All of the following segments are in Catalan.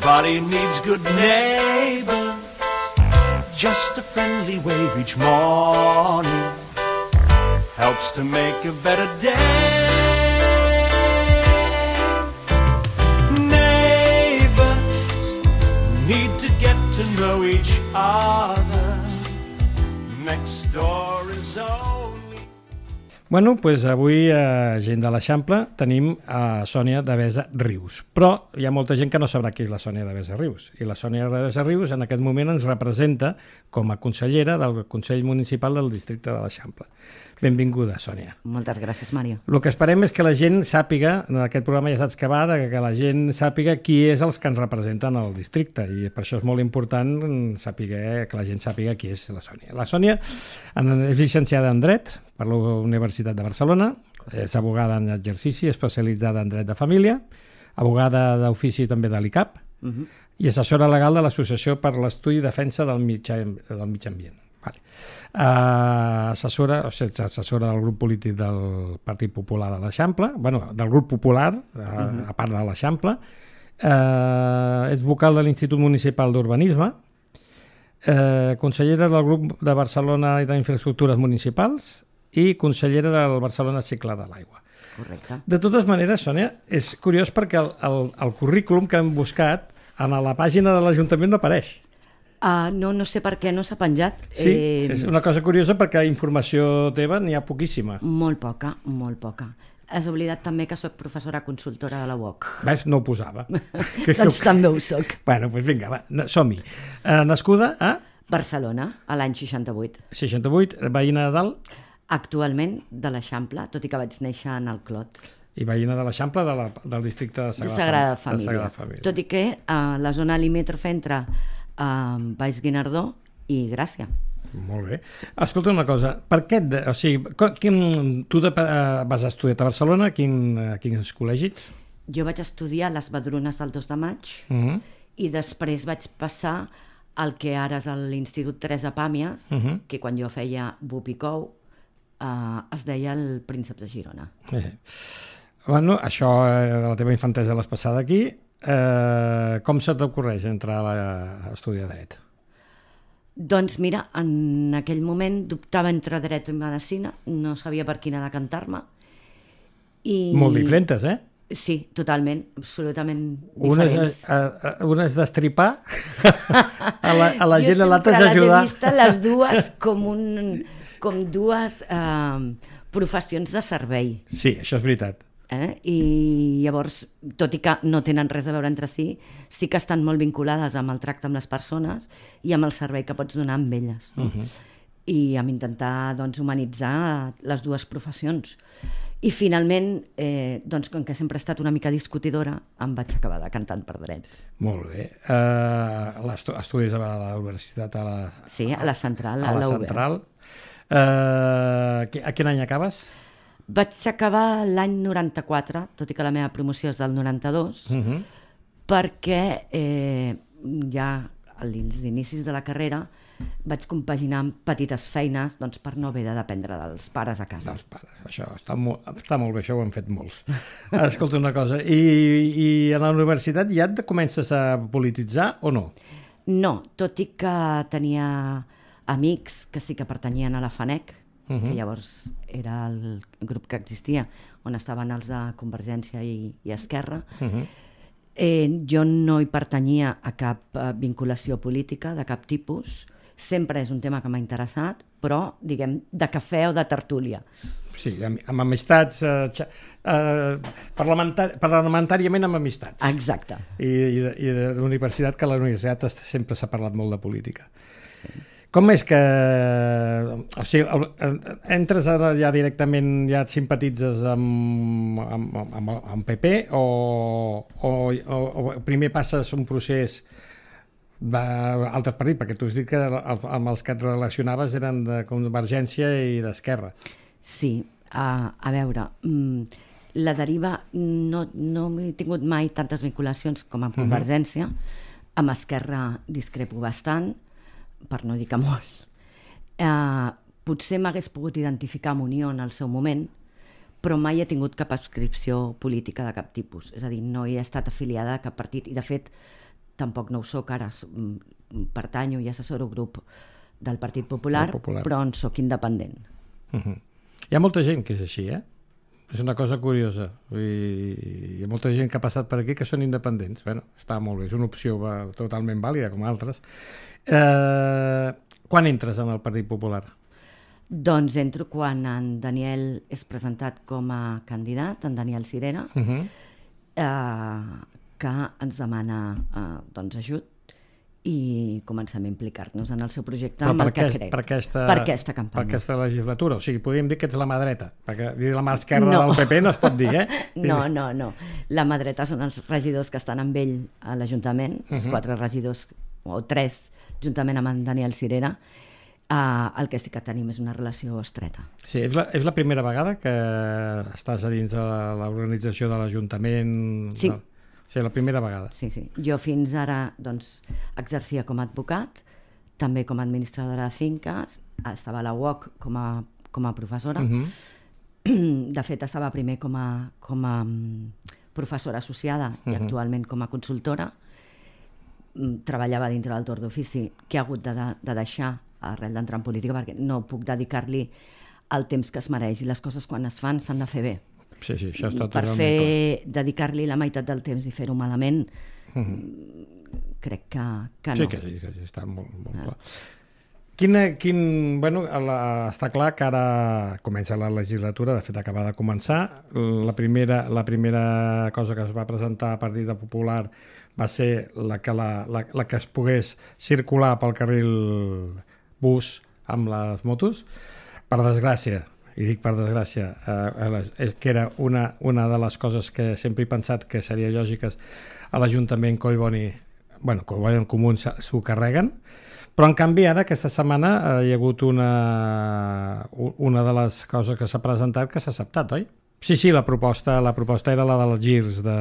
Everybody needs good neighbors. Just a friendly wave each morning helps to make a better day. Neighbors need to get to know each other. Next door is only... Bueno, doncs avui a Gent de l'Eixample tenim a Sònia Devesa Rius, però hi ha molta gent que no sabrà qui és la Sònia Devesa Rius, i la Sònia Devesa Rius en aquest moment ens representa com a consellera del Consell Municipal del Districte de l'Eixample. Benvinguda, Sònia. Moltes gràcies, Mario. El que esperem és que la gent sàpiga, en aquest programa ja saps que va, que la gent sàpiga qui és els que ens representen al districte, i per això és molt important saber, que la gent sàpiga qui és la Sònia. La Sònia és llicenciada en Dret per la Universitat de Barcelona, és abogada en exercici, especialitzada en Dret de Família, abogada d'ofici també de l'ICAP, i assessora legal de l'Associació per l'Estudi i Defensa del Mitjà Ambient. Vale. Assessora del grup polític del Partit Popular de l'Eixample, del grup popular, a part de l'Eixample, és vocal de l'Institut Municipal d'Urbanisme, consellera del grup de Barcelona i d'Infraestructures Municipals i consellera del Barcelona Cicle de l'Aigua. Correcte. De totes maneres, Sònia, és curiós perquè el currículum que hem buscat a la pàgina de l'Ajuntament no apareix. No sé per què no s'ha penjat. Sí, és una cosa curiosa perquè informació teva n'hi ha poquíssima. Molt poca, molt poca. Has oblidat també que sóc professora consultora de la UOC. Ves? No ho posava. Doncs també ho soc. Bueno, doncs vinga, va, som-hi. Nascuda a... Barcelona, a l'any 68. 68, veïna de dalt? Actualment de l'Eixample, tot i que vaig néixer en el Clot. I veïna de l'Eixample del districte de Sagrada Família. Tot i que la zona limítrofa entre Baix Guinardó i Gràcia. Molt bé. Escolta una cosa, per què... Tu vas estudiar a Barcelona, a quins col·legis? Jo vaig estudiar les Vedrunes del 2 de maig i després vaig passar al que ara és l'Institut Teresa Pàmies, que quan jo feia Bupicou es deia el Príncep de Girona. Bueno, això, la teva infantesa l'has passada aquí. Com se t'ocorreix entrar a estudiar dret? Doncs mira, en aquell moment dubtava entre dret i medicina, no sabia per quina decantar-me. Molt diferents, eh? Sí, totalment, absolutament diferents. Una és destripar a la gent, l'altra és ajudar. Jo sempre les he vist les dues com dues professions de servei. Sí, això és veritat. I llavors, tot i que no tenen res a veure entre si, sí que estan molt vinculades amb el tracte amb les persones i amb el servei que pots donar amb elles. I amb intentar humanitzar les dues professions. I finalment, com que sempre he estat una mica discutidora, em vaig acabar decantant per dret. Molt bé. Estudis a la universitat? Sí, a la Central. A la Central. A quin any acabes? Vaig acabar l'any 94, tot i que la meva promoció és del 92, perquè ja als inicis de la carrera vaig compaginar amb petites feines per no haver de dependre dels pares a casa. Dels pares, això està molt bé, això ho han fet molts. Escolta una cosa, i a la universitat ja et comences a polititzar o no? No, tot i que tenia amics que sí que pertanyien a la FANEC, que llavors era el grup que existia, on estaven els de Convergència i Esquerra. Jo no hi pertanyia a cap vinculació política de cap tipus. Sempre és un tema que m'ha interessat, però, diguem, de cafè o de tertúlia. Sí, amb amistats, parlamentàriament amb amistats. Exacte. I de la universitat, que a la universitat sempre s'ha parlat molt de política. Sí. Com és que... O sigui, entres ja directament, ja et simpatitzes amb PP o primer passes un procés d'altres partits? Perquè tu has dit que amb els que et relacionaves eren de Convergència i d'Esquerra. Sí, a veure, la deriva no he tingut mai tantes vinculacions com amb Convergència. Amb Esquerra discrepo bastant, per no dir que molt. Potser m'hagués pogut identificar amb Unió en el seu moment, però mai he tingut cap adscripció política de cap tipus. És a dir, no he estat afiliada a cap partit i, de fet, tampoc no ho soc ara, pertanyo i assessoro grup del Partit Popular, però en soc independent. Hi ha molta gent que és així, És una cosa curiosa. Hi ha molta gent que ha passat per aquí que són independents. Bueno, està molt bé, és una opció totalment vàlida, com altres. Quan entres en el Partit Popular? Doncs entro quan en Daniel és presentat com a candidat, en Daniel Sirera, que ens demana ajut i comencem a implicar-nos en el seu projecte amb el que crec. Per aquesta campanya. Per aquesta legislatura. O sigui, podríem dir que ets la mà dreta, perquè dir la mà esquerra del PP no es pot dir, No. La mà dreta són els regidors que estan amb ell a l'Ajuntament, els 4 regidors, o 3, juntament amb en Daniel Sirera. El que sí que tenim és una relació estreta. Sí, és la primera vegada que estàs a dins de l'organització de l'Ajuntament? Sí. Sí, la primera vegada. Sí. Jo fins ara exercia com a advocat, també com a administradora de finques, estava a la UOC com a professora. De fet, estava primer com a professora associada i actualment com a consultora. Treballava dintre del torn d'ofici, que he hagut de deixar arrel d'entrar en política, perquè no puc dedicar-li el temps que es mereix i les coses quan es fan s'han de fer bé. Sí, això està totalment clar. dedicar-li la meitat del temps i fer-ho malament, crec que no. Sí, que està molt clar. Està clar que ara comença la legislatura, de fet acaba de començar. La primera cosa que es va presentar a Partit Popular va ser la que es pogués circular pel carril bus amb les motos. Per desgràcia, i dic per desgràcia, que era una de les coses que sempre he pensat que seria lògiques a l'Ajuntament Collboni en Comú s'ho carreguen, però en canvi ara aquesta setmana hi ha hagut una de les coses que s'ha presentat que s'ha acceptat, oi? Sí, la proposta era la dels girs de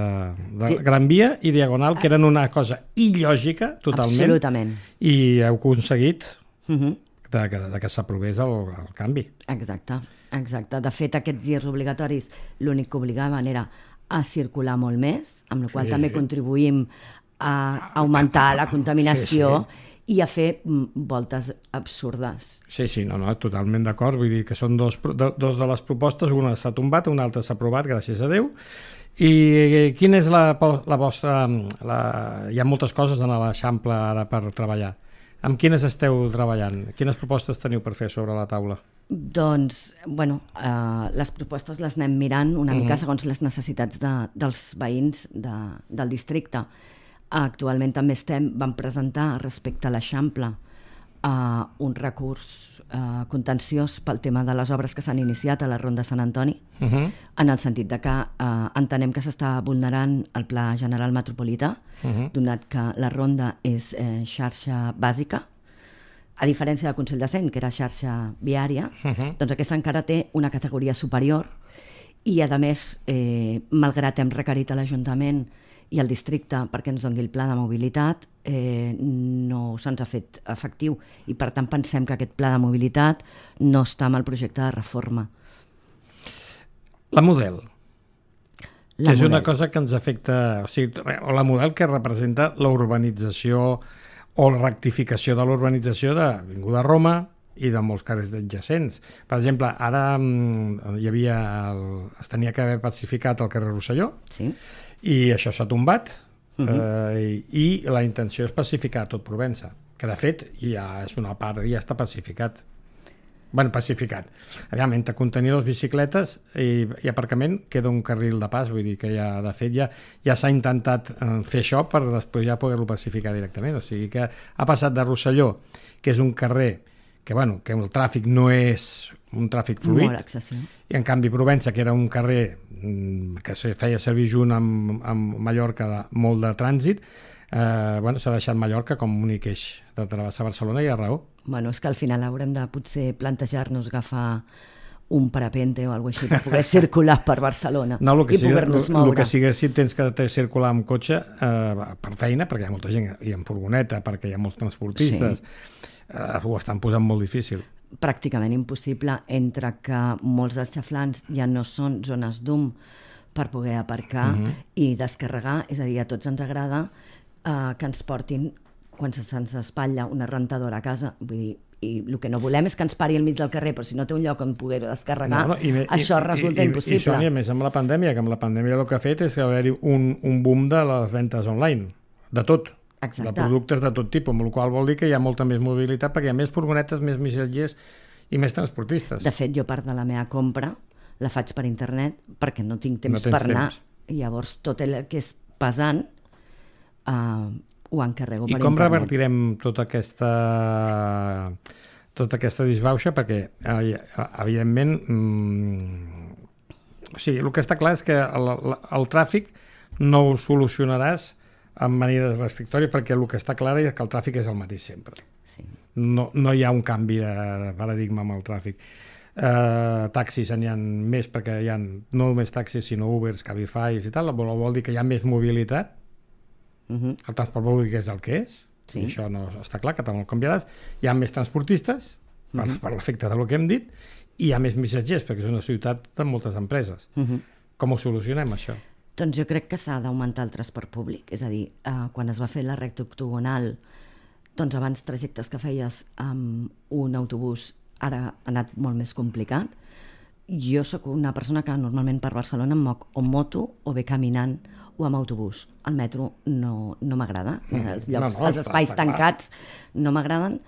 Gran Via i Diagonal, que eren una cosa il·lògica totalment. Absolutament. I heu aconseguit que s'aprovés el canvi. Exacte. De fet, aquests girs obligatoris l'únic que obligaven era a circular molt més, amb la qual cosa també contribuïm a augmentar la contaminació i a fer voltes absurdes. Sí, totalment d'acord. Vull dir que són dos de les propostes, una s'ha tombat, una altra s'ha aprovat, gràcies a Déu. I quina és la vostra... Hi ha moltes coses en l'Eixample ara per treballar. Amb quines esteu treballant? Quines propostes teniu per fer sobre la taula? Doncs, les propostes les anem mirant una mica segons les necessitats dels veïns del districte. Actualment també vam presentar respecte a l'Eixample un recurs contenciós pel tema de les obres que s'han iniciat a la Ronda Sant Antoni, en el sentit de que entenem que s'està vulnerant el Pla General Metropolità, donat que la Ronda és xarxa bàsica, a diferència del Consell de Cent, que era xarxa viària, doncs aquesta encara té una categoria superior i, a més, malgrat hem requerit a l'Ajuntament i al districte perquè ens doni el pla de mobilitat, no se'ns ha fet efectiu i per tant pensem que aquest pla de mobilitat no està en el projecte de reforma. La Model, que és una cosa que ens afecta, o la Model que representa la urbanització o la rectificació de l'urbanització de Avinguda Roma i de molts carrers adjacents. Per exemple, ara es tenia que haver pacificat el carrer Rosselló, i això s'ha tombat, i la intenció és pacificar tot Provença, que de fet ja és una part, ja està pacificat. Pacificat. Aviam, entre contenidors, bicicletes i aparcament queda un carril de pas, vull dir que de fet ja s'ha intentat fer això per després ja poder-lo pacificar directament. O sigui que ha passat de Rosselló, que és un carrer que el tràfic no és un tràfic fluid, molt excessiu, i en canvi Provença, que era un carrer que es feia servir junt amb Mallorca de molt de trànsit, s'ha deixat Mallorca com un únic eix de travessar Barcelona, i hi ha raó. És que al final haurem de potser plantejar-nos agafar un parapente o alguna cosa així per poder circular per Barcelona i poder-nos moure. El que sigui, si tens que circular amb cotxe per feina, perquè hi ha molta gent, i amb furgoneta, perquè hi ha molts transportistes, ho estan posant molt difícil. Pràcticament impossible, entre que molts dels xaflans ja no són zones d'UM per poder aparcar i descarregar, és a dir, a tots ens agrada que ens portin, quan se'ns espatlla una rentadora a casa, vull dir, i el que no volem és que ens pari al mig del carrer, però si no té un lloc on poder-ho descarregar, això resulta impossible. I Sònia, més amb la pandèmia, que amb la pandèmia el que ha fet és que haver-hi un boom de les ventes online, de tot. Exacte. De productes de tot tipus, amb la qual vol dir que hi ha molta més mobilitat perquè hi ha més furgonetes, més missatgers i més transportistes. De fet, jo part de la meva compra la faig per internet perquè no tinc temps per anar. I llavors tot el que és pesant ho encarrego per internet. I com revertirem tota aquesta disbauxa? Perquè, evidentment, o sigui, el que està clar és que el tràfic no ho solucionaràs amb maneres restrictòries, perquè el que està clar és que el tràfic és el mateix sempre. Sí. No hi ha un canvi de paradigma amb el tràfic. Taxis n'hi ha més, perquè hi ha no només taxis, sinó Ubers, Cabify i tal, vol dir que hi ha més mobilitat. El transport públic és el que és, i això no està clar, que també el canviaràs. Hi ha més transportistes, per l'efecte del que hem dit, i hi ha més missatgers, perquè és una ciutat de moltes empreses. Com ho solucionem, això? Doncs jo crec que s'ha d'augmentar el transport públic, és a dir, quan es va fer la recta octogonal, doncs abans trajectes que feies amb un autobús ara ha anat molt més complicat. Jo sóc una persona que normalment per Barcelona em moc o amb moto o bé caminant o amb autobús. El metro no m'agrada, els espais tancats no m'agraden,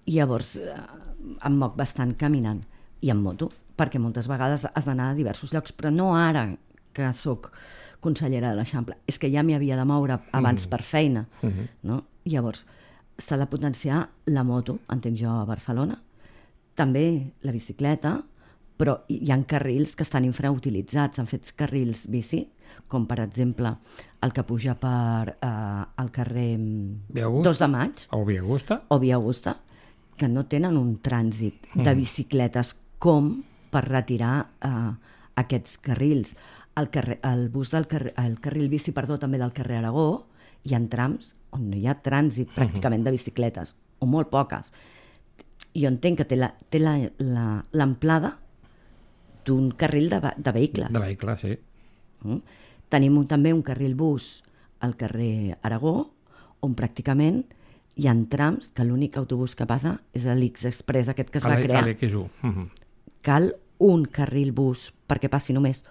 i llavors em moc bastant caminant i amb moto, perquè moltes vegades has d'anar a diversos llocs, però no ara que sóc consellera de l'Eixample, és que ja m'hi havia de moure abans per feina, no? Llavors s'ha de potenciar la moto, entenc jo, a Barcelona, també la bicicleta, però hi ha carrils que estan infrautilitzats, han fet carrils bici, com per exemple el que puja per al carrer 2 de Maig o Via Augusta, que no tenen un trànsit de bicicletes com per retirar aquests carrils. El carril bici, també del carrer Aragó, hi ha trams on no hi ha trànsit pràcticament de bicicletes, o molt poques. Jo entenc que té l'amplada d'un carril de vehicles. De vehicles, sí. Tenim també un carril bus al carrer Aragó, on pràcticament hi ha trams que l'únic autobús que passa és l'X-Express, aquest que es va crear. Cal un carril bus perquè passi només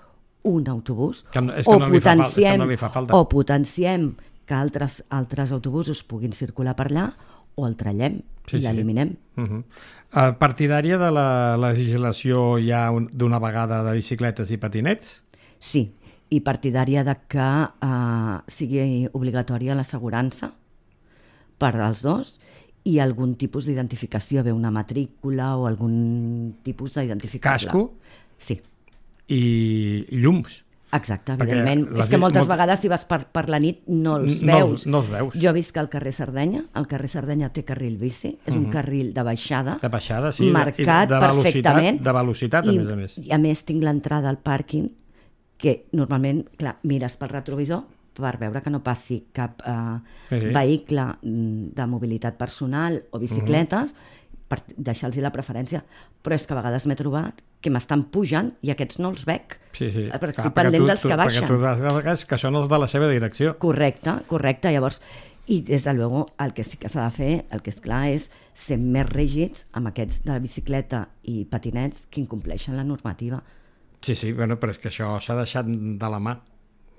un autobús, o potenciem que altres autobusos puguin circular per allà, o el trallem i l'eliminem. Partidària de la legislació ja d'una vegada de bicicletes i patinets? Sí, i partidària de que sigui obligatòria l'assegurança per als dos i algun tipus d'identificació, bé una matrícula o algun tipus d'identificació. Casco? Sí. I llums? Exacte, evidentment. És que moltes vegades si vas per la nit no els veus. No els veus. Jo visc al carrer Sardenya, el carrer Sardenya té carril bici, és un carril de baixada, sí, marcat perfectament. De velocitat, a més. I a més tinc l'entrada al pàrquing, que normalment, clar, mires pel retrovisor per veure que no passi cap vehicle de mobilitat personal o bicicletes, per deixar-los la preferència. Però és que a vegades m'he trobat que m'estan pujant i aquests no els veig. Sí. Perquè estic pendent dels que baixen. Perquè tu que són els de la seva direcció. Correcte. Llavors, i des de luego el que sí que s'ha de fer, el que és clar, és ser més rígids amb aquests de bicicleta i patinets que incompleixen la normativa. Sí, bueno, però és que això s'ha deixat de la mà.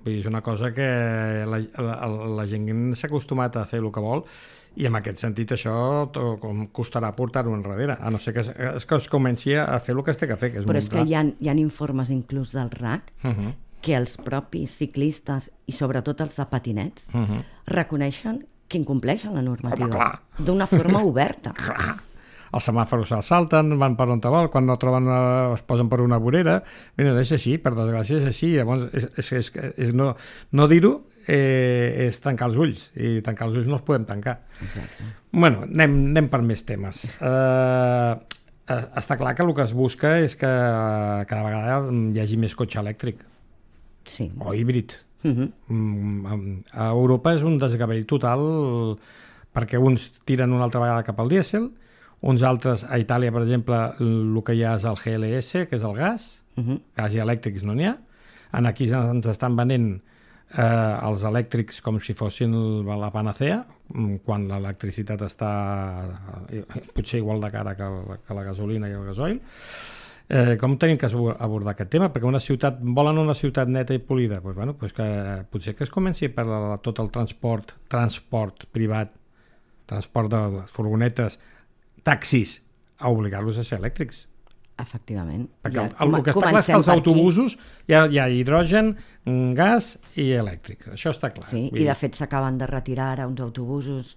Vull dir, és una cosa que la gent s'ha acostumat a fer el que vol, i en aquest sentit això costarà portar-ho enrere, a no ser que es comenci a fer el que es té que fer. Però és que hi ha informes inclús del RAC que els propis ciclistes i sobretot els de patinets reconeixen que incompleixen la normativa d'una forma oberta. Els semàfors se'ls salten, van per on te vol, quan no troben es posen per una vorera. Mira, és així, per desgràcia és així. Llavors, no dir-ho és tancar els ulls, i tancar els ulls no els podem tancar. Exacte. Bueno, anem per més temes. Està clar que el que es busca és que cada vegada hi hagi més cotxe elèctric. Sí. O híbrid. A Europa és un desgavell total, perquè uns tiren una altra vegada cap al dièsel, uns altres, a Itàlia, per exemple, el que hi ha és el GLS, que és el gas, gas i elèctrics no n'hi ha. Aquí ens estan venent els elèctrics com si fossin la panacea, quan l'electricitat està potser igual de cara que la gasolina i el gasoil. Com tenim que abordar aquest tema? Perquè volen una ciutat neta i polida. Pues que potser que es comenci per tot el transport privat, transport de les furgonetes, taxis, a obligar-los a ser elèctrics. Efectivament. Perquè el que està clar és que els autobusos hi ha hidrogen, gas i elèctric. Això està clar. Sí, i de fet s'acaben de retirar ara uns autobusos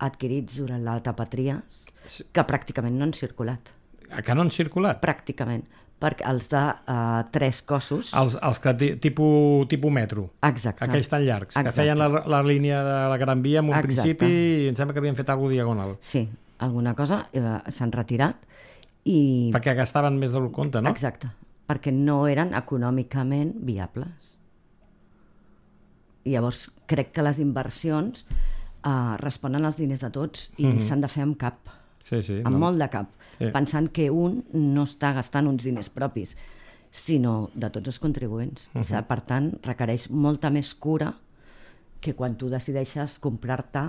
adquirits durant l'etapa Trias que pràcticament no han circulat. Que no han circulat? Pràcticament. Perquè els de 3 cossos... Els que tipus metro. Exacte. Aquells tan llargs, que feien la línia de la Gran Via en un principi i em sembla que havien fet alguna diagonal. Sí, alguna cosa s'han retirat i... Perquè gastaven més del compte, no? Exacte, perquè no eren econòmicament viables. I llavors crec que les inversions responen als diners de tots i s'han de fer amb cap, molt de cap, pensant que un no està gastant uns diners propis, sinó de tots els contribuents. Per tant, requereix molta més cura que quan tu decideixes comprar-te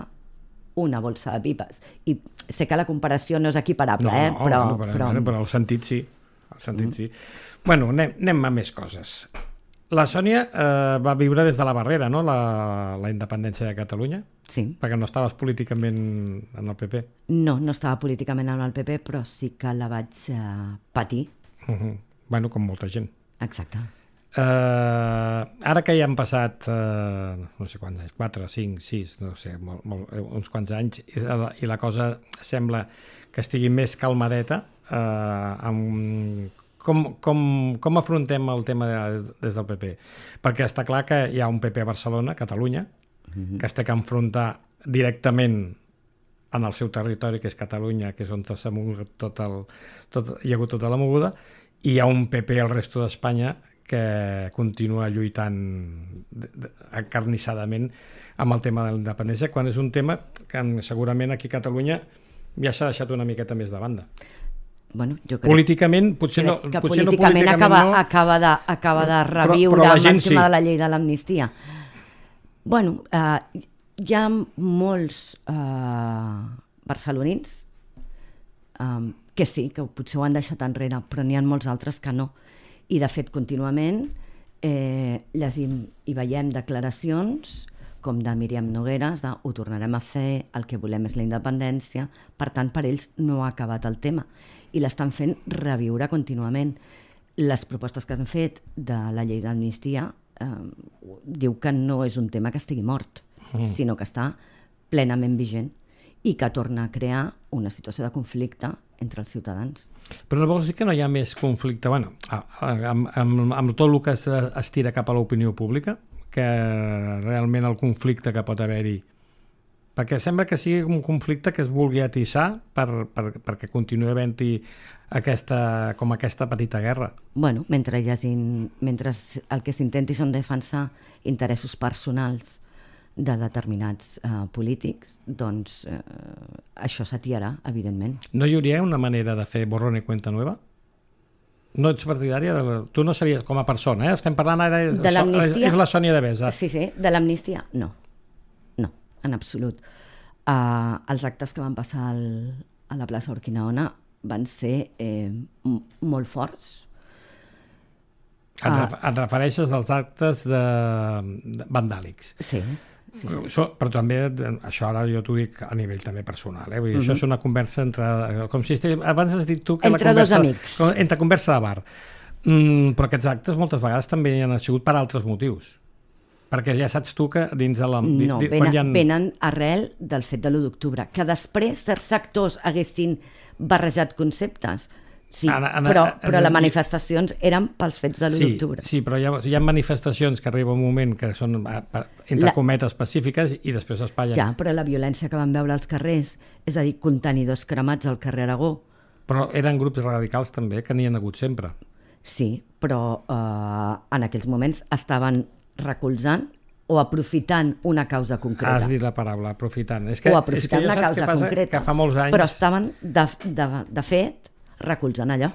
una bolsa de pipes. I sé que la comparació no és equiparable, però el sentit sí. Sí. Bueno, anem a més coses. La Sònia va viure des de la Barrera, no?, la independència de Catalunya? Sí. Perquè no estaves políticament en el PP. No estava políticament en el PP, però sí que la vaig patir. Bueno, com molta gent. Exacte. Ara que ja han passat no sé quants anys, 4, 5, 6 no sé, uns quants anys i la cosa sembla que estigui més calmadeta, com afrontem el tema des del PP? Perquè està clar que hi ha un PP a Barcelona, Catalunya, que es té que enfrontar directament en el seu territori, que és Catalunya, que és on s'ha mogut hi ha hagut tota la moguda, i hi ha un PP al resto d'Espanya que continua lluitant acarnissadament amb el tema de la independència, quan és un tema que segurament aquí a Catalunya ja s'ha deixat una miqueta més de banda. Bueno, jo crec políticament, potser no acaba de reviure amb el tema de la llei de l'amnistia. Bueno, hi ha molts barcelonins que sí, que potser ho han deixat enrere, però n'hi ha molts altres que no. I de fet contínuament llegim i veiem declaracions com de Míriam Nogueras de ho tornarem a fer, el que volem és la independència, per tant per ells no ha acabat el tema i l'estan fent reviure contínuament. Les propostes que s'han fet de la llei d'amnistia diu que no és un tema que estigui mort, sinó que està plenament vigent i que torna a crear una situació de conflicte entre els ciutadans. Però no vols dir que no hi ha més conflicte? Bueno, amb tot el que es tira cap a l'opinió pública, que realment el conflicte que pot haver-hi, perquè sembla que sigui un conflicte que es vulgui atissar perquè continuï havent-hi aquesta petita guerra. Bueno, mentre el que s'intenti són defensar interessos personals de determinats polítics, doncs això s'atiarà, evidentment. No hi hauria una manera de fer borrón y cuenta nueva? No ets partidària? Tu no series com a persona, estem parlant ara, és la Sònia Devesa. Sí, de l'amnistia, no, en absolut. Els actes que van passar a la plaça Urquinaona van ser molt forts. Et refereixes als actes vandàlics? Sí. Però també, això ara jo t'ho dic a nivell també personal, vull dir, això és una conversa entre, com si abans has dit tu que entre dos amics, entre conversa de bar, però aquests actes moltes vegades també han sigut per altres motius, perquè ja saps tu que dins de la... No, venen arrel del fet de l'1 d'octubre, que després certs sectors haguessin barrejat conceptes. Sí, però les manifestacions eren pels fets de l'1 d'octubre. Sí, però hi ha manifestacions que arriba un moment que són, entre cometes, pacífiques i després espatllen. Ja, però la violència que van veure als carrers, és a dir, contenidors cremats al carrer Aragó. Però eren grups radicals també, que n'hi ha hagut sempre. Sí, però en aquells moments estaven recolzant o aprofitant una causa concreta. Has dit la paraula, aprofitant. O aprofitant una causa concreta. Que fa molts anys... Però estaven, de fet, recolzant allò.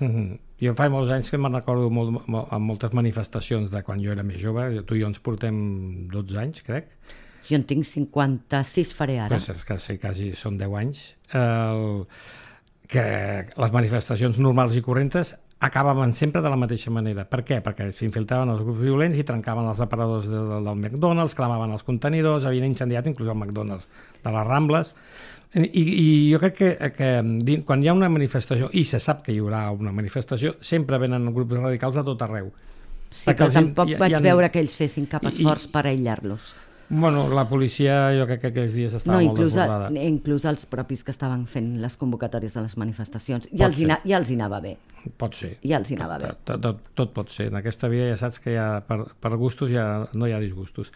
Jo fa molts anys que me'n recordo amb moltes manifestacions de quan jo era més jove. Tu i jo ens portem 12 anys, crec. Jo en tinc 56, faré ara. Pues quasi són 10 anys. Que les manifestacions normals i corrents acabaven sempre de la mateixa manera. Per què? Perquè s'infiltraven els grups violents i trencaven els aparadors del McDonald's, clamaven els contenidors, havien incendiat inclús el McDonald's de les Rambles. I jo crec que quan hi ha una manifestació, i se sap que hi haurà una manifestació, sempre venen grups radicals a tot arreu. Sí, però tampoc vaig veure que ells fessin cap esforç per aïllar-los. Bueno, la policia jo crec que aquells dies estava molt desbordada. Inclús els propis que estaven fent les convocatòries de les manifestacions. Ja els hi anava bé. Pot ser. Ja els hi anava bé. Tot pot ser. En aquesta vida ja saps que per gustos ja no hi ha disgustos.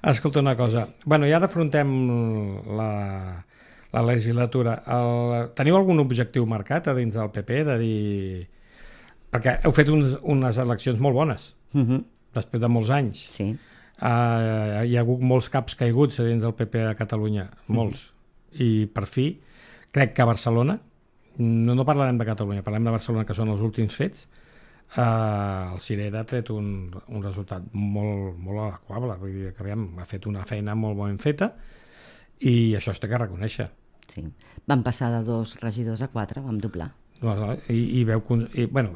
Escolta una cosa. Bueno, i ara afrontem la legislatura. Teniu algun objectiu marcat a dins del PP? De dir... Perquè heu fet unes eleccions molt bones, després de molts anys. Sí. Hi ha hagut molts caps caiguts a dins del PP a Catalunya, molts. I per fi, crec que a Barcelona, no parlarem de Catalunya, parlem de Barcelona, que són els últims fets, el Cirera ha tret un resultat molt adequable. Vull dir que ha fet una feina molt ben feta i això es té que reconèixer. Sí. Vam passar de 2 regidors a 4, vam doblar. I vau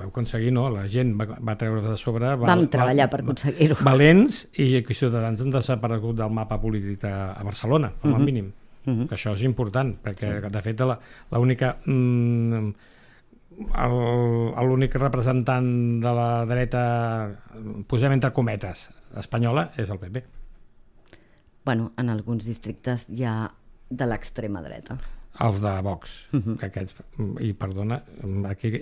aconseguir, no? La gent va treure de sobre... Vam treballar per aconseguir-ho. Valents, i que Ciutadans han desaparegut del mapa polític a Barcelona, com a mínim. Que això és important, perquè de fet l'únic representant de la dreta, posem entre cometes, espanyola, és el PP. Bueno, en alguns districtes hi ha de l'extrema dreta. Els de Vox, i perdona,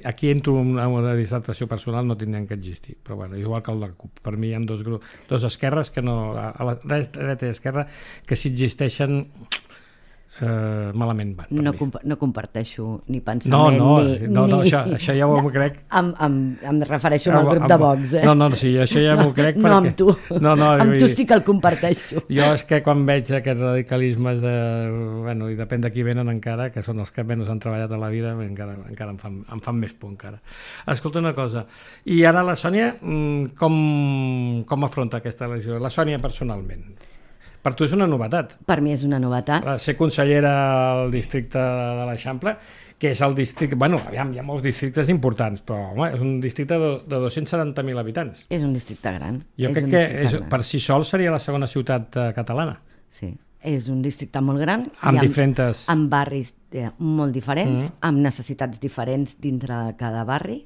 aquí entro en una distracció personal, no tindrien que existir, però bueno, igual que el de CUP. Per mi hi ha dos esquerres que no, a la dreta i esquerra, que si existeixen malament van. No comparteixo ni pensament no, això ja ho crec. Em refereixo al grup de Vox, sí, això ja m'ho crec. No amb tu, amb tu sí que el comparteixo. Jo és que quan veig aquests radicalismes i depèn de qui venen encara, que són els que menys han treballat a la vida, encara em fan més por encara. Escolta una cosa, i ara la Sònia com afronta aquesta elecció? La Sònia personalment. Per tu és una novetat. Per mi és una novetat. Ser consellera al districte de l'Eixample, que és el districte... Bueno, aviam, hi ha molts districtes importants, però home, és un districte de 270.000 habitants. És un districte gran. Jo crec que per si sol seria la segona ciutat catalana. Sí, és un districte molt gran. Amb barris molt diferents, amb necessitats diferents dintre de cada barri.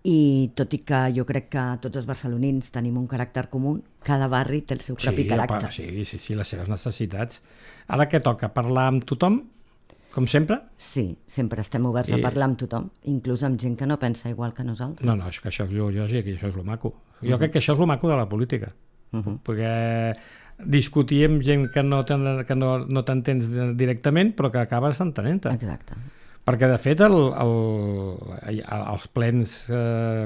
I tot i que jo crec que tots els barcelonins tenim un caràcter comú, cada barri té el seu propi caràcter. Sí, les seves necessitats. Ara què toca? Parlar amb tothom, com sempre? Sí, sempre estem oberts a parlar amb tothom, inclús amb gent que no pensa igual que nosaltres. No, és que això és lògic i això és lo maco. Jo crec que això és lo maco de la política, perquè discutir amb gent que no t'entens directament però que acabes entenent-te. Exacte. Perquè, de fet, els plens...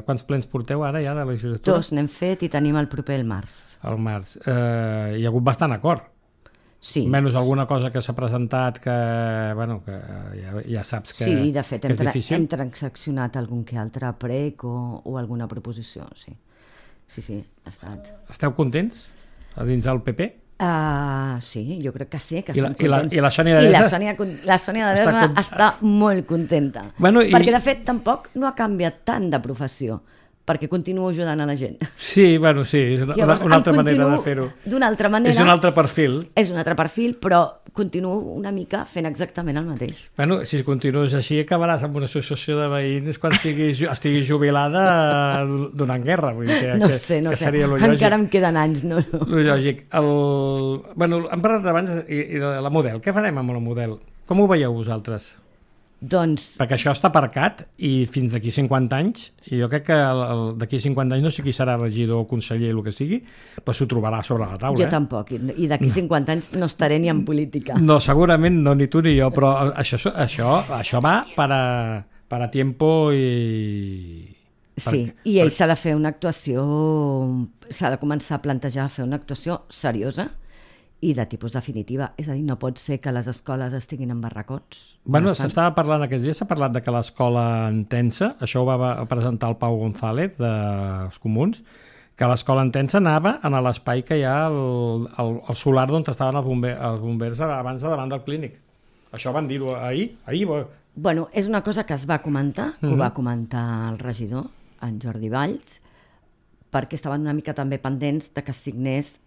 Quants plens porteu ara ja de la legislatura? 2 n'hem fet i tenim el proper el març. El març. Hi ha hagut bastant acord. Sí. Menys alguna cosa que s'ha presentat que ja saps que és difícil. Sí, de fet, hem transaccionat algun que altre prec o alguna proposició, sí. Sí, ha estat. Esteu contents a dins del PP? Sí, jo crec que sí, que estem contents. I la Sònia de Desna? La Sònia de Desna està molt contenta. Perquè, de fet, tampoc no ha canviat tant de professió, perquè continuo ajudant a la gent. Sí, és una altra manera de fer-ho. D'una altra manera. És un altre perfil. És un altre perfil, però continuo una mica fent exactament el mateix. Si continues així acabaràs amb una associació de veïns quan estiguis jubilada donant guerra. No sé. Encara em queden anys, no. Lo lògic. Hem parlat abans de la Model. Què farem amb la Model? Com ho veieu vosaltres? Doncs... Perquè això està aparcat i fins d'aquí 50 anys, i jo crec que d'aquí 50 anys no sé qui serà regidor o conseller, el que sigui, però s'ho trobarà sobre la taula. Jo tampoc, i d'aquí 50 anys no estaré ni en política. No, segurament no, ni tu ni jo, però això va para tiempo i... Sí, i ell s'ha de fer una actuació, s'ha de començar a plantejar fer una actuació seriosa i de tipus definitiva. És a dir, no pot ser que les escoles estiguin en barracons. Bueno, s'estava parlant aquests dies, s'ha parlat de que l'escola Entença, això ho va presentar el Pau González dels Comuns, que l'escola Entença anava a l'espai que hi ha el solar on estaven els bombers abans de davant del clínic. Això van dir-ho ahir. Bueno, és una cosa que es va comentar, que ho va comentar el regidor, en Jordi Valls, perquè estaven una mica també pendents de que es signés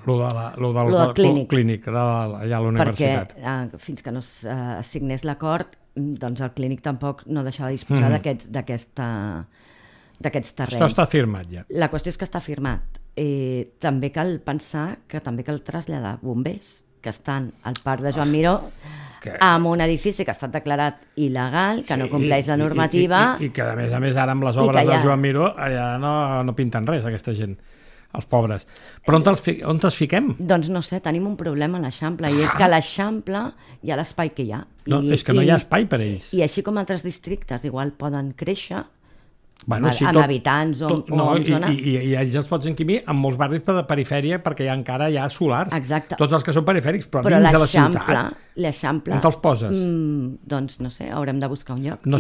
lo del clínic allà a la universitat. Perquè fins que no es signés l'acord, doncs el clínic tampoc no deixava de disposar d'aquests terrenys. Això està firmat ja. La qüestió és que està firmat. També cal pensar que també cal traslladar bombers que estan al parc de Joan Miró amb un edifici que ha estat declarat il·legal, que no compleix la normativa. I que, a més, ara amb les obres de Joan Miró, allà no pinten res, aquesta gent, els pobres. Però on els fiquem? Doncs no sé, tenim un problema a l'Eixample, i és que a l'Eixample hi ha l'espai que hi ha. No, és que no hi ha espai per ells. I així com altres districtes igual poden créixer, bueno, sí, amb habitants o amb zones. I ells els pots enquimir en molts barris de perifèria perquè encara hi ha solars. Exacte. Tots els que són perifèrics, però dins de la ciutat. L'Eixample... On te'ls poses? Doncs no sé, haurem de buscar un lloc. No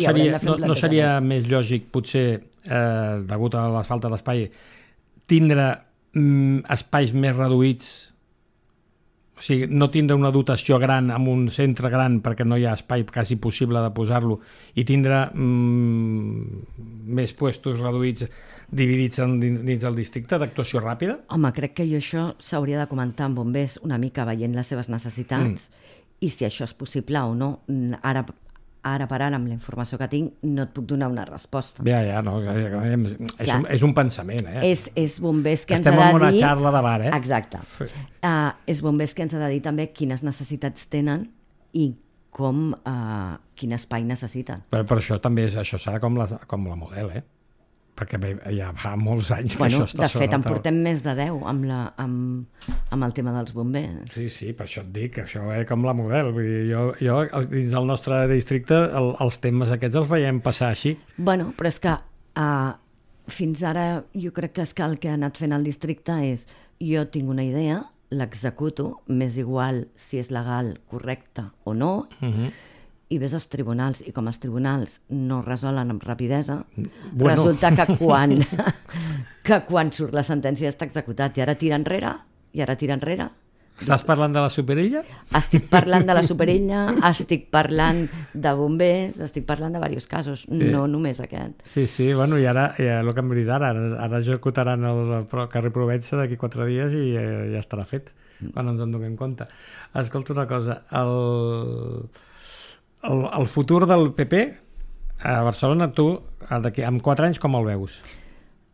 seria més lògic, potser, degut a la falta d'espai, tindre espais més reduïts, o sigui, no tindre una dotació gran amb un centre gran perquè no hi ha espai quasi possible de posar-lo, i tindre més puestos reduïts dividits dins del districte d'actuació ràpida? Home, crec que això s'hauria de comentar amb bombers una mica veient les seves necessitats i si això és possible o no. Ara per ara, amb la informació que tinc, no et puc donar una resposta. Ja, no, és un pensament, És bombers que ens ha de dir... Estem en una xarra de bar, Exacte. És bombers que ens ha de dir també quines necessitats tenen i quin espai necessiten. Però això també serà com la Model, perquè ja fa molts anys que això està sobre la taula. De fet, en portem més de 10 amb el tema dels bombers. Sí, per això et dic, això com la Model. Vull dir, jo dins del nostre districte els temes aquests els veiem passar així. Bueno, però és que fins ara jo crec que el que ha anat fent el districte és jo tinc una idea, l'executo, m'és igual si és legal, correcte o no, i ves als tribunals, i com els tribunals no resolen amb rapidesa, resulta que quan surt la sentència està executat, i ara tira enrere. Estàs parlant de la superilla? Estic parlant de la superilla, estic parlant de bombers, estic parlant de diversos casos, no només aquest. Sí, bueno, i ara, el que hem dit ara executaran el carrer Provença d'aquí 4 dies i ja estarà fet, quan ens en donem compte. Escolta una cosa, el futur del PP a Barcelona, tu, amb 4 anys, com el veus?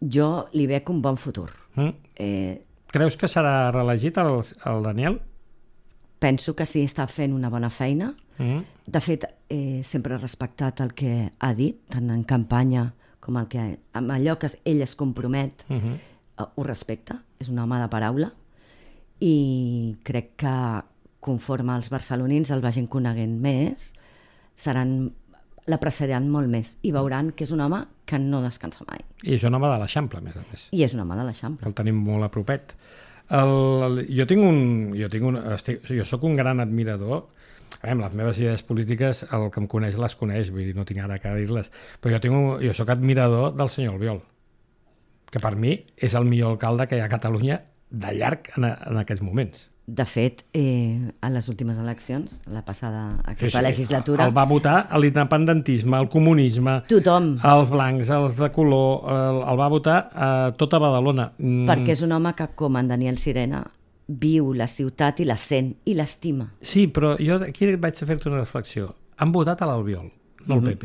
Jo li veig un bon futur. Creus que serà reelegit el Daniel? Penso que sí, està fent una bona feina. De fet, sempre he respectat el que ha dit, tant en campanya com amb allò que ell es compromet, ho respecta, és un home de paraula, i crec que conforme els barcelonins el vagin coneguent més, l'apreciaran molt més i veuran que és un home que no descansa mai. I és un home de l'Eixample, a més. I és un home de l'Eixample. El tenim molt a propet. Jo soc un gran admirador. Les meves idees polítiques, el que em coneix les coneix, vull dir, no tinc ara que dir-les, però jo soc admirador del senyor Albiol, que per mi és el millor alcalde que hi ha a Catalunya de llarg en aquests moments. De fet, a les últimes eleccions, la passada aquesta legislatura... El va votar l'independentisme, el comunisme... Tothom. Els blancs, els de color... El va votar a tota Badalona. Perquè és un home que, com en Daniel Sirena, viu la ciutat i la sent i l'estima. Sí, però jo aquí vaig a fer-te una reflexió. Han votat a l'Albiol, no al PP.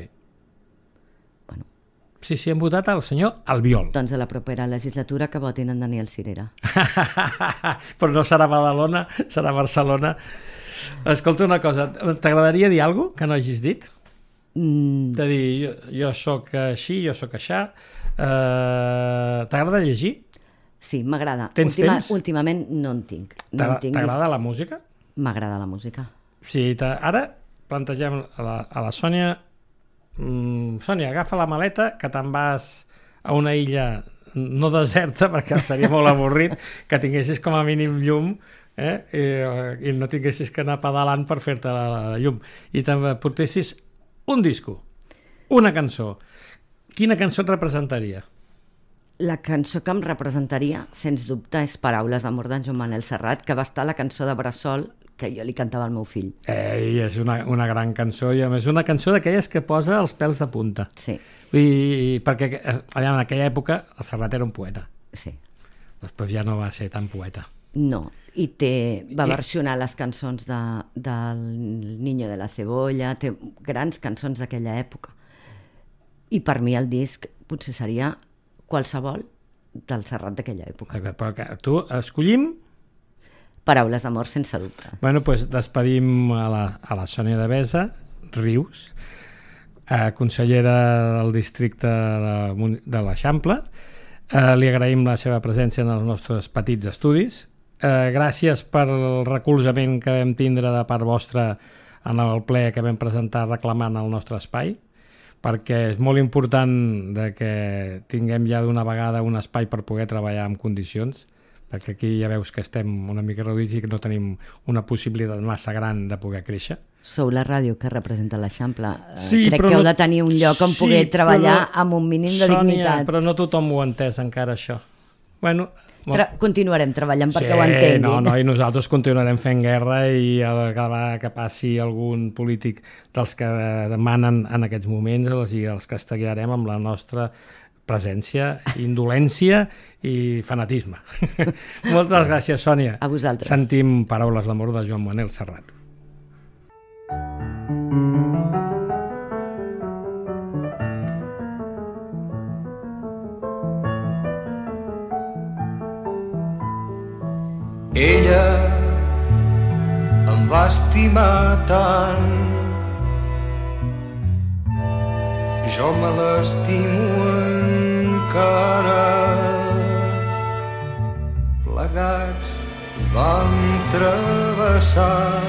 Bueno. Sí, han votat al senyor Albiol. Doncs a la propera legislatura que votin en Daniel Sirera. Però no serà Badalona, serà Barcelona. Escolta una cosa, t'agradaria dir alguna cosa que no hagis dit? De dir, jo sóc així, jo sóc aixà. T'agrada llegir? Sí, m'agrada. Tens temps? Últimament no en tinc. T'agrada la música? M'agrada la música. Sí, ara plantegem a la Sònia... Sònia, agafa la maleta que te'n vas a una illa no deserta, perquè seria molt avorrit, que tinguessis com a mínim llum, i no tinguessis que anar pedalant per fer-te la llum. I també portessis un disco, una cançó. Quina cançó et representaria? La cançó que em representaria, sens dubte, és Paraules d'amor d'en Joan Manel Serrat, que va estar a la cançó de Bressol que jo li cantava al meu fill. És una gran cançó, i a més una cançó d'aquelles que posa els pèls de punta. Sí. Perquè en aquella època el Serrat era un poeta. Sí. Després ja no va ser tan poeta. No, i va versionar les cançons del Niño de la Cebolla, té grans cançons d'aquella època. I per mi el disc potser seria qualsevol del Serrat d'aquella època. Però tu escollim... Paraules d'amor, sense dubte. Bueno, doncs despedim a la Sònia Devesa Rius, consellera del districte de l'Eixample. Li agraïm la seva presència en els nostres petits estudis. Gràcies pel recolzament que vam tindre de part vostra en el ple que vam presentar reclamant el nostre espai, perquè és molt important que tinguem ja d'una vegada un espai per poder treballar en condicions, perquè aquí ja veus que estem una mica reduïts i que no tenim una possibilitat massa gran de poder créixer. Sou la ràdio que representa l'Eixample. Sí, crec que heu de tenir un lloc on poder treballar amb un mínim de dignitat. Sònia, però no tothom ho ha entès encara, això. Bueno, continuarem treballant perquè ho entenguin. No, i nosaltres continuarem fent guerra, i que passi algun polític dels que demanen en aquests moments els castigarem amb la nostra presència, indolència i fanatisme. Moltes gràcies, Sònia. A vosaltres. Sentim Paraules d'amor de Joan Manel Serrat. Ella em va estimar tant, jo me l'estimo encara. Plegats vam travessar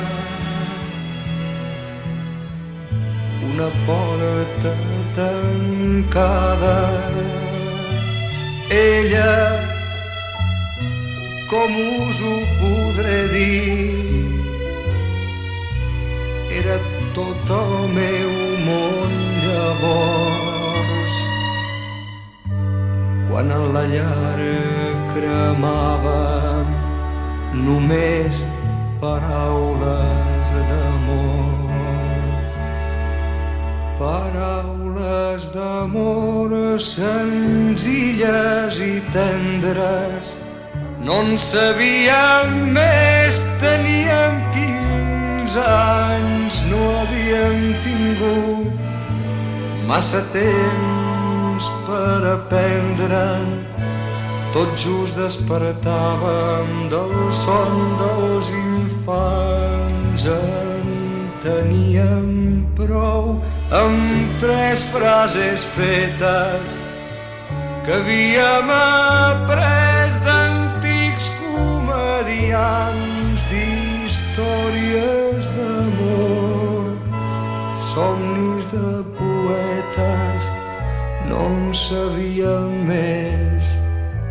una porta tancada. Ella, com us ho podré dir, era tot el meu món llavors. Quan a la llar cremava només paraules d'amor. Paraules d'amor senzilles i tendres. No en sabíem més, teníem 15 anys, no havíem tingut massa temps per aprendre'n. Tot just despertàvem del son dels infants. En teníem prou amb 3 frases fetes que havíem après d'antics comediants, d'històries d'amor, somnis de poetes. No en sabíem més,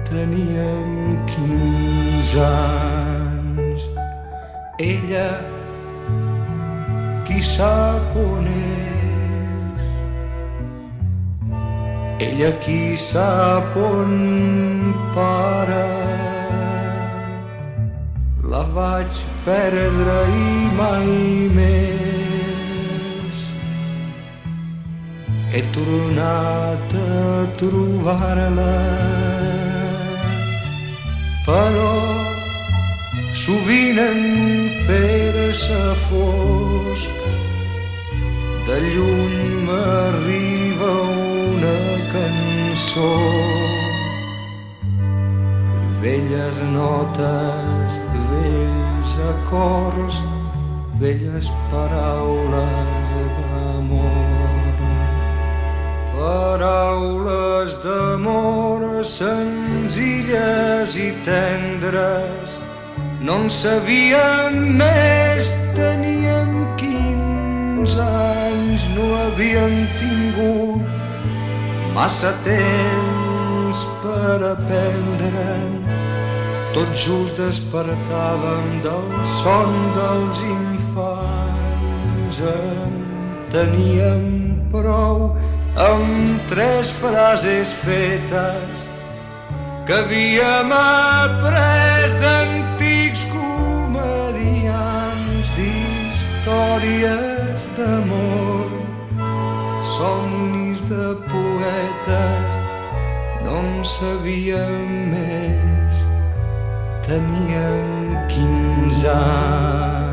teníem 15 anys. Ella, qui sap on és? Ella, qui sap on para? La vaig perdre i mai més he tornat a trobar-la. Però sovint en fer-se fosc de lluny m'arriba una cançó. Velles notes, vells acords, velles paraules d'amor. Paraules d'amor senzilles i tendres. No en sabíem més, teníem 15 anys, no havíem tingut massa temps per per aprendre'n. Tot just despertàvem del son dels infants. En teníem prou amb 3 frases fetes que havíem après d'antics comedians, d'històries d'amor, somnis de poetes. No en sabíem més, teníem 15 anys.